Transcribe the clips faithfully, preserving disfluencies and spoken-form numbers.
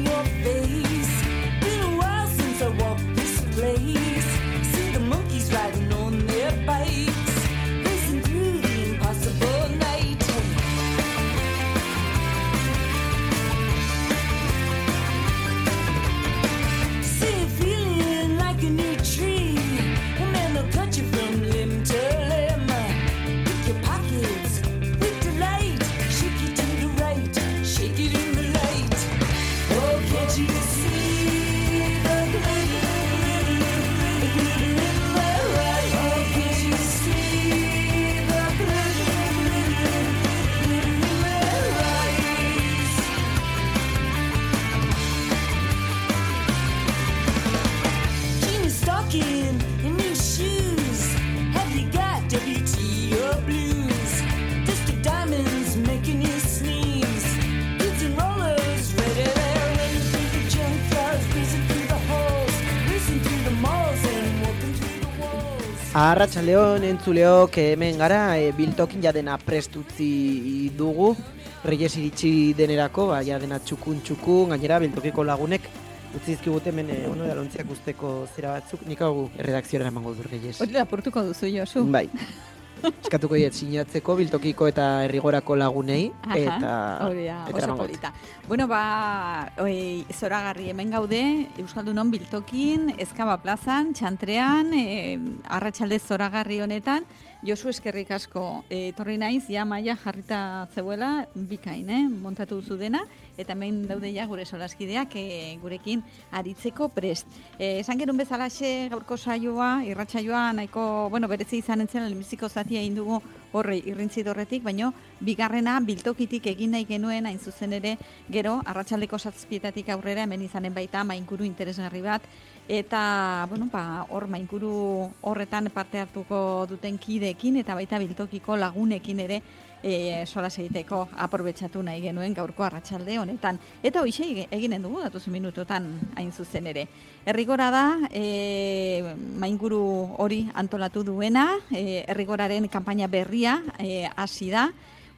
your face. Been a while since I walked this place. See the monkeys riding on their bikes, racing through the impossible night. See it feeling like a new tree, and then they'll cut you from limb to limb. Pick your pockets with delight, shake it to the right, shake it in the light. Oh, can't you see the glitter, the glitter in my eyes? Oh, can't you see the glitter, glitter, glitter in my eyes? Jeans stocking and new shoes. Have you got W T or blues? Disco diamonds making you sneeze. Kids and rollers ready there, running through the junkyards, breezing through the halls, racing through the malls and walking through the walls. Arratsaldeon entzuleok, hemen gara, e, biltokin jadena prest utzi dugu. Reyes iritsi denerako, ba, jadena txukun txukun, gainera biltokiko lagunek utzi dizkigute hemen e, ono dalontziak usteko zera batzuk. Nik hau erredakziora emango du Reyes. Hori lapurtuko duzu, Josu. Bai. Eskatuko diet sinatzeko biltokiko eta herrigorako lagunei eta hori da, eta oso eramango polita. Bueno, ba, oi, zoragarri hemen gaude, Euskaldunon biltokin, Ezkaba plazan, Txantrean, e, arratsalde zoragarri honetan, Josu eskerrik asko, e, etorri naiz, ja maia jarrita zeuela, bikain, eh, montatu duzu dena, eta hemen daude ja gure solaskideak e, gurekin aritzeko prest. E, esan gerun bezalaxe gaurko saioa, irratsaioa nahiko, bueno, berezi izan entzen, lehenbiziko zatia egin dugu horre irrintzi dorretik, baino bigarrena biltokitik egin nahi genuen hain zuzen ere gero arratsaldeko zazpietatik aurrera hemen izanen baita mainkuru interesgarri bat, eta bueno, ba, hor mainkuru horretan parte hartuko duten kideekin eta baita biltokiko lagunekin ere e, solas egiteko aprobetxatu nahi genuen gaurko arratsalde honetan. Eta hoxe eginen dugu datozen minutotan hain zuzen ere. Errigora da, e, mainkuru hori antolatu duena, e, Errigoraren kanpaina berria e, hasi da,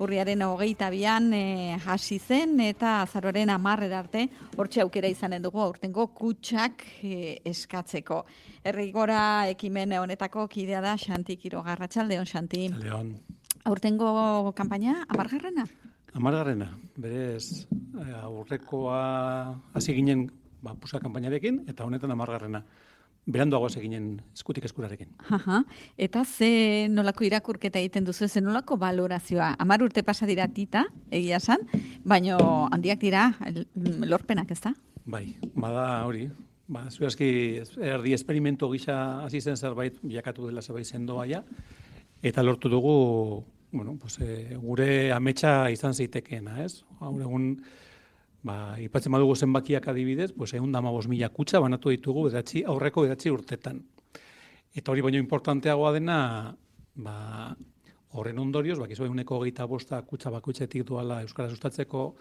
urriaren hogeita bian e, hasi zen eta azaroaren hamarrera arte hortxe aukera izanen dugu aurtengo kutxak e, eskatzeko. Errigora ekimen honetako kidea da Xanti Quiroga. Arratsaldeon, Xanti. Leon. Aurtengo kanpaina hamargarrena? Hamargarrena, berez aurrekoa hasi ginen ba, pusa kanpainarekin eta honetan hamargarrena. Beranduago hasi ginen eskutik eskurarekin. Aha. Eta ze nolako irakurketa egiten duzu, ze nolako valorazioa? Hamar urte pasa dira tita, egia san, baino handiak dira lorpenak, ez da? Bai, bada hori. Ba, zurazki erdi esperimento gisa hasi zen zerbait bilakatu dela zerbait sendoa ja. Eta lortu dugu, bueno, pues, e, gure ametsa izan zitekeena, ez? Gaur egun, ba, ipatzen badugu zenbakiak adibidez, pues, ehun eta hamabost mila kutxa banatu ditugu bederatzi, aurreko bederatzi urtetan. Eta hori baino importanteagoa dena, ba, horren ondorioz, bakizu ehuneko hogeita bosta kutxa bakoitzetik duala euskara sustatzeko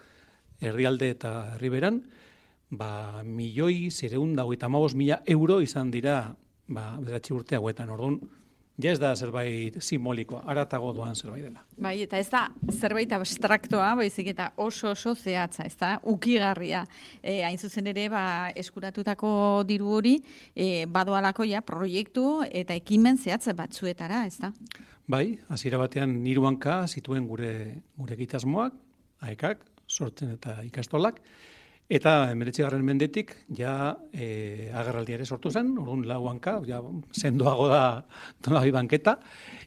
herrialde eta herriberan, ba, milioi zireun da hogeita hamabost mila euro izan dira, ba, bederatzi urte hauetan, orduan, ja ez da zerbait simbolikoa, aratago doan zerbait dela. Bai, eta ez da zerbait abstraktoa, baizik eta oso oso zehatza, ez da, ukigarria. E, hain zuzen ere, ba, eskuratutako diru hori, e, badoalako ja proiektu eta ekimen zehatza batzuetara, ez da? Bai, hasiera batean hiru hanka zituen gure gure egitasmoak, aekak, sortzen eta ikastolak, eta hemeretzigarren mendetik ja e, agerraldia ere sortu zen, orduan lau hanka, ja sendoago da nolabait banketa,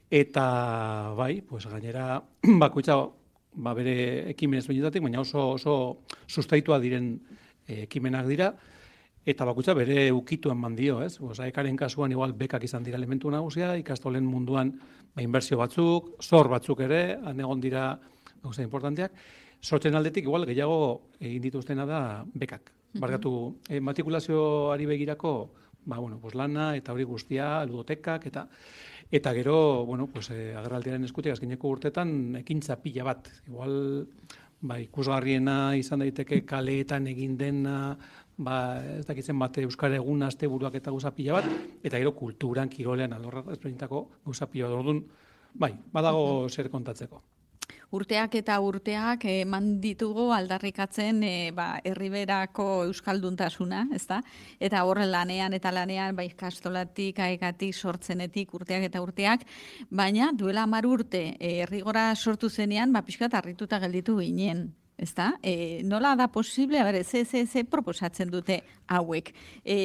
eta bai, pues gainera bakoitza ba bere ekimen ezberdinetatik, baina oso oso sustaitua diren e, ekimenak dira, eta bakoitza bere ukitu eman dio, ez? Pues aekaren kasuan igual bekak izan dira elementu nagusia, ikastolen munduan ba inbertsio batzuk, zor batzuk ere, han egon dira gauza importanteak. Sortzen aldetik, igual, gehiago egin dituztena da bekak. Barkatu, eh, matrikulazioari begirako, ba, bueno, pues lana eta hori guztia, ludotekak, eta eta gero, bueno, pues, eh, agerraldiaren eskutik azkeneko urtetan ekintza pila bat. Igual, ba, ikusgarriena izan daiteke kaleetan egin dena, ba, ez dakitzen bate euskara egun asteburuak eta gauza pila bat, eta gero kulturan, kirolean, alorra ezberdintako gauza pila bat. Orduan, bai, badago zer kontatzeko. urteak eta urteak eman ditugu aldarrikatzen e, ba, herriberako euskalduntasuna, ezta? Eta horren lanean eta lanean, bai ikastolatik, aekatik, sortzenetik, urteak eta urteak, baina duela hamar urte e, herrigora sortu zenean, ba, pixkat harrituta gelditu ginen. Ezta? E, nola da posible, a ber, ze, ze, ze proposatzen dute hauek. E,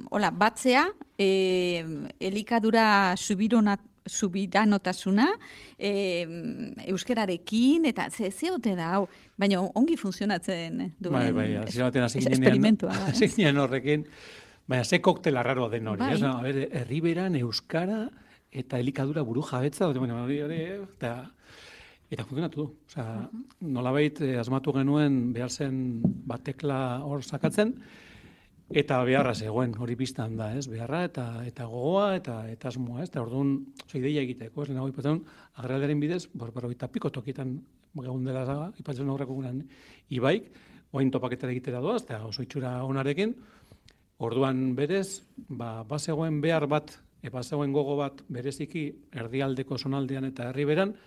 hola, batzea, e, elikadura subironat, subiranotasuna, e, euskerarekin, eta ze, ze ote da, hau, baina ongi funtzionatzen duen. Bai, bai, hasi batean hasi ginean, esperimentua. hasi ginean horrekin, baina ze koktela raro den hori, Bai. ez? A ber, herriberan, euskara, eta elikadura buru jabetza, bueno, hori, hori, eta... Eta funtzionatu du. Osea, uh-huh. nolabait eh, asmatu genuen behar zen batekla hor sakatzen, eta beharra zegoen, hori biztan da, ez? Beharra eta eta gogoa eta eta asmoa, ez? Eta orduan, oso ideia egiteko, ez? Lehenago ipatzen, agerraldiaren bidez, berrogeita piko tokitan egun dela zaga, ipatzen horreko gunan ibaik, oain topaketara egitera doaz, eta oso itxura onarekin, orduan berez, ba, bazegoen behar bat, e, bazegoen gogo bat bereziki erdialdeko zonaldean eta herriberan,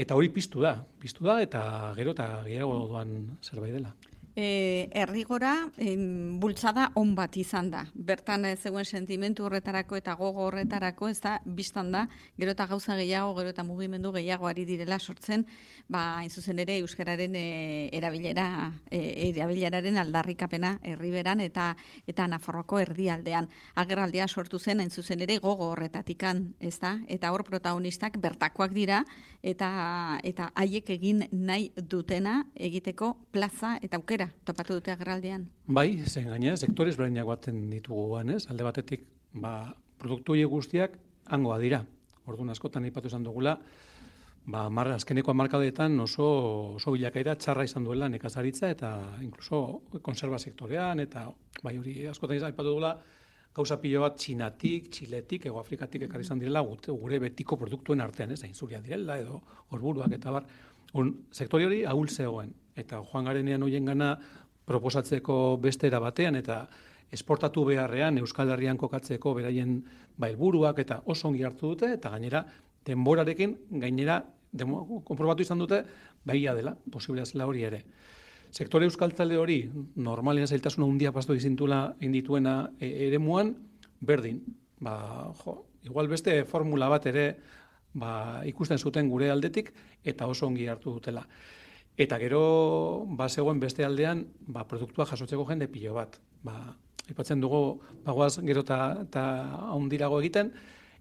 eta hori piztu da, piztu da, eta gero eta gehiago doan zerbait dela. E, errigora em, bultzada on bat izan da. Bertan ez zegoen sentimentu horretarako eta gogo horretarako, ez da, biztan da, gero eta gauza gehiago, gero eta mugimendu gehiago ari direla sortzen, ba, hain zuzen ere euskararen e, erabilera, e, erabileraren aldarrikapena herriberan eta eta Nafarroako erdialdean. Agerraldia sortu zen hain zuzen ere gogo horretatikan, ez da? Eta hor protagonistak bertakoak dira eta eta haiek egin nahi dutena egiteko plaza eta aukera topatu dute agerraldean. Bai, zen gainera, sektorez berainak baten ditugu ez? Alde batetik, ba, produktu horiek guztiak hangoa dira. Orduan askotan aipatu izan dugula, ba, mar, azkeneko hamarkadetan oso, oso bilakaera txarra izan duela nekazaritza eta inkluso konserva sektorean, eta bai hori askotan izan aipatu dugula, gauza pilo bat Txinatik, Txiletik, Ego Afrikatik ekarri izan direla gure betiko produktuen artean, ez? Inzuria direla edo orburuak eta bar. Un, sektore hori ahul zegoen, eta joan garenean hoien gana proposatzeko bestera batean, eta esportatu beharrean Euskal Herrian kokatzeko beraien ba, helburuak eta oso ongi hartu dute, eta gainera denborarekin gainera demo, konprobatu izan dute bahia dela, posiblea zela hori ere. Sektore euskaltzale hori, normalean zailtasuna handia pastu izintula indituena e, eremuan, berdin. Ba, jo, igual beste formula bat ere ba, ikusten zuten gure aldetik, eta oso ongi hartu dutela. Eta gero, ba, zegoen beste aldean, ba, produktua jasotzeko jende pilo bat. Ba, ipatzen dugu, bagoaz gero eta haundirago egiten,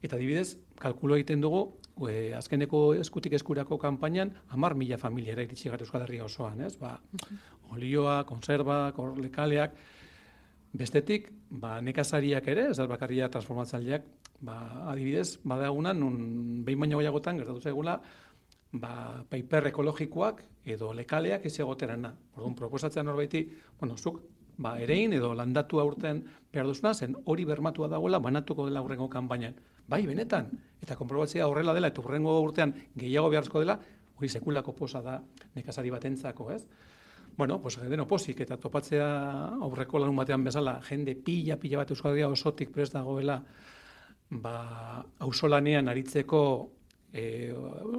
eta adibidez, kalkulo egiten dugu, e, azkeneko eskutik eskurako kanpainan, hamar mila familiara iritsi gara Euskal Herria osoan, ez? Ba, olioa, konserba, lekaleak, bestetik, ba, nekazariak ere, ez da bakarria transformatzaileak, ba, adibidez, badagunan, nun behin baino gehiagotan gertatu zaigula, ba, paper ekologikoak edo lekaleak ez egoterana. Orduan, proposatzen norbaiti, bueno, zuk, ba, erein edo landatu aurten behar duzuna, zen hori bermatua dagoela, banatuko dela hurrengo kanpainan. Bai, benetan, eta konprobatzea horrela dela, eta hurrengo urtean gehiago behartzko dela, hori sekulako posa da nekazari batentzako, ez? Bueno, pues deno posik, eta topatzea aurreko lanun batean bezala, jende pila, pila bat Euskal Herria osotik prest dagoela, ba, auzolanean aritzeko e,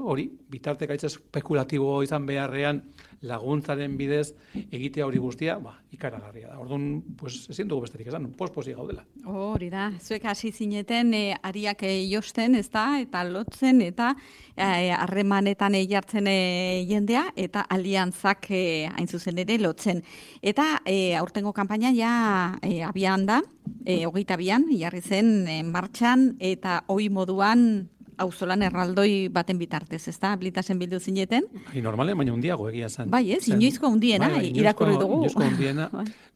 hori, bitartekaitza espekulatibo izan beharrean laguntzaren bidez egitea hori guztia, ba, ikaragarria da. Orduan, pues, ezin dugu besterik esan, posposi gaudela. Hori da, zuek hasi zineten e, ariak e, josten, ez da, eta lotzen, eta harremanetan e, jartzen e, jendea, eta aliantzak e, hain zuzen ere lotzen. Eta e, aurtengo kanpaina ja e, abian da, e, hogeita abian, jarri zen e, martxan, eta hoi moduan auzolan erraldoi baten bitartez, ez da? Blitasen bildu zineten? Bai, normalen, baina hundiago egia zen. Bai, ez, inoizko hundiena, bai, bai, irakurri dugu. Inoizko hundiena,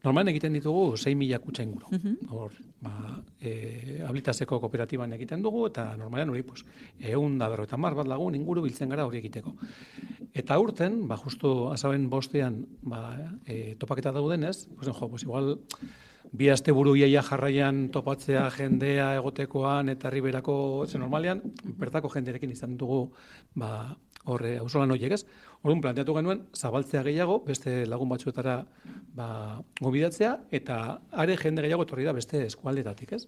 normalen egiten ditugu sei mila kutxa inguru. Uh-huh. Hor, ba, e, Ablitaseko kooperatiban egiten dugu, eta normalen hori, pues, egun da berro eta mar bat lagun inguru biltzen gara hori egiteko. Eta urten, ba, justu azaben bostean, ba, e, topaketa daudenez, pues, jo, pues, igual, bi aste buru iaia jarraian topatzea jendea egotekoan eta herriberako zen normalean, bertako jenderekin izan dugu ba, horre auzolan horiek ez. Orduan planteatu genuen zabaltzea gehiago, beste lagun batzuetara ba, gobidatzea, eta are jende gehiago etorri da beste eskualdetatik ez.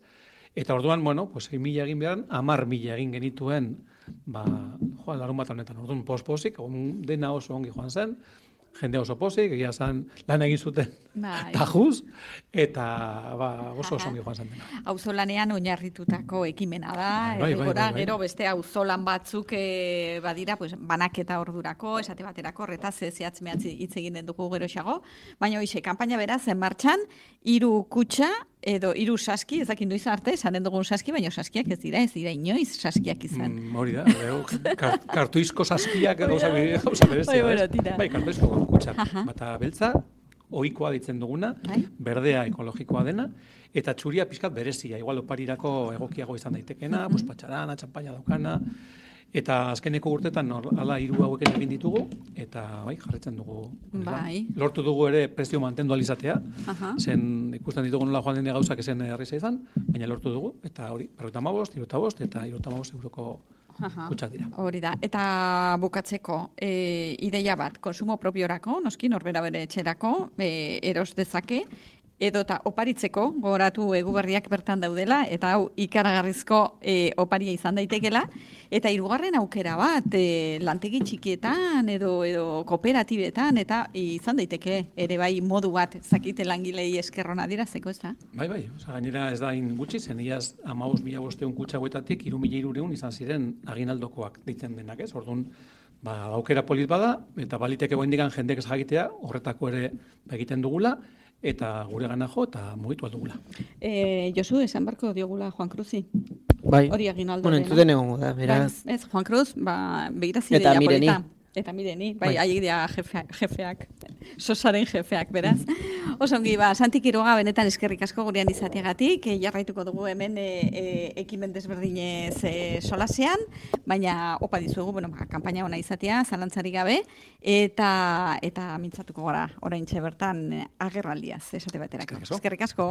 Eta orduan, bueno, pues, mila egin behar, hamar mila egin genituen ba, joan larun bat honetan. Orduan, post-posik, dena oso ongi joan zen, jende oso pozik, egia zen lan egin zuten Bai. tajuz, eta ba, oso oso ongi joan zen dena. Auzolanean oinarritutako ekimena da, Bai, bai, errigora, bai, bai. gero beste auzolan batzuk e, badira, pues, banaketa ordurako, esate baterako, horretaz ez zehatz mehatz hitz egin dugu geroxago, baina hoxe, kanpaina beraz, en martxan, hiru kutxa, edo hiru saski, ez dakit noiz arte, esanen dugun saski, baina saskiak ez dira, ez dira inoiz saskiak izan. Mm, hori da, ero, kar, kartuizko saskiak gauza gauza berezia. Bai, ez? bueno, tira. Bai, kartuizko kutxak. Aha. Bata beltza, ohikoa ditzen duguna, Bai. berdea ekologikoa dena, eta txuria pizkat berezia, igual oparirako egokiago izan daitekena, pues patxarana, txampaina daukana, eta azkeneko urtetan hor, hala hiru hauek egin ditugu, eta bai, jarretzen dugu. hori da. Bai. Lortu dugu ere prezio mantendu alizatea, Aha. zen ikusten ditugu nola joan den gauzak esen erreza izan, baina lortu dugu, eta hori, berrogeita hamabost, hirurogeita bost, eta hirurogeita hamabost euroko Aha. kutxak dira. Hori da. Eta bukatzeko, e, ideia bat, konsumo propiorako, noski norbera bere etxerako, e, eros dezake, edota oparitzeko, gogoratu eguberriak bertan daudela, eta hau ikaragarrizko e, oparia izan daitekela, eta hirugarren aukera bat, e, lantegi txikietan edo edo kooperatibetan, eta izan daiteke ere bai modu bat, zakite langilei eskerrona dirazeko, ez da? Bai, bai, oza, gainera ez da hain gutxi, zen iaz amabost mila bosteun kutxa hauetatik, hiru mila hirurehun izan ziren aginaldokoak deitzen denak, ez? Orduan, ba, aukera polit bada, eta baliteke goendikan jendek ez jakitea, horretako ere ba, egiten dugula, eta gure gana jo, eta mugitu aldugula. E, Josu, esan barko diogula Juan Cruzi. Bai. Hori aginaldo Bueno, dena. entzuten egongo da, beraz. Bai, ez, Juan Cruz, ba, begiraz Eta ideia Mireni. polita. Eta mireni, bai, Bai. haiek dira jefe, jefeak, sosaren jefeak, beraz. Osongi, ba, Santi Quiroga benetan eskerrik asko gurean izateagatik, e, jarraituko dugu hemen e, e, ekimen desberdinez e, solasean, baina opa dizuegu, bueno, ba, kanpaina ona izatea, zalantzarik gabe, eta eta mintzatuko gara oraintxe bertan e, agerraldiaz, esate baterako. Eskerrik asko. Eskerrik asko.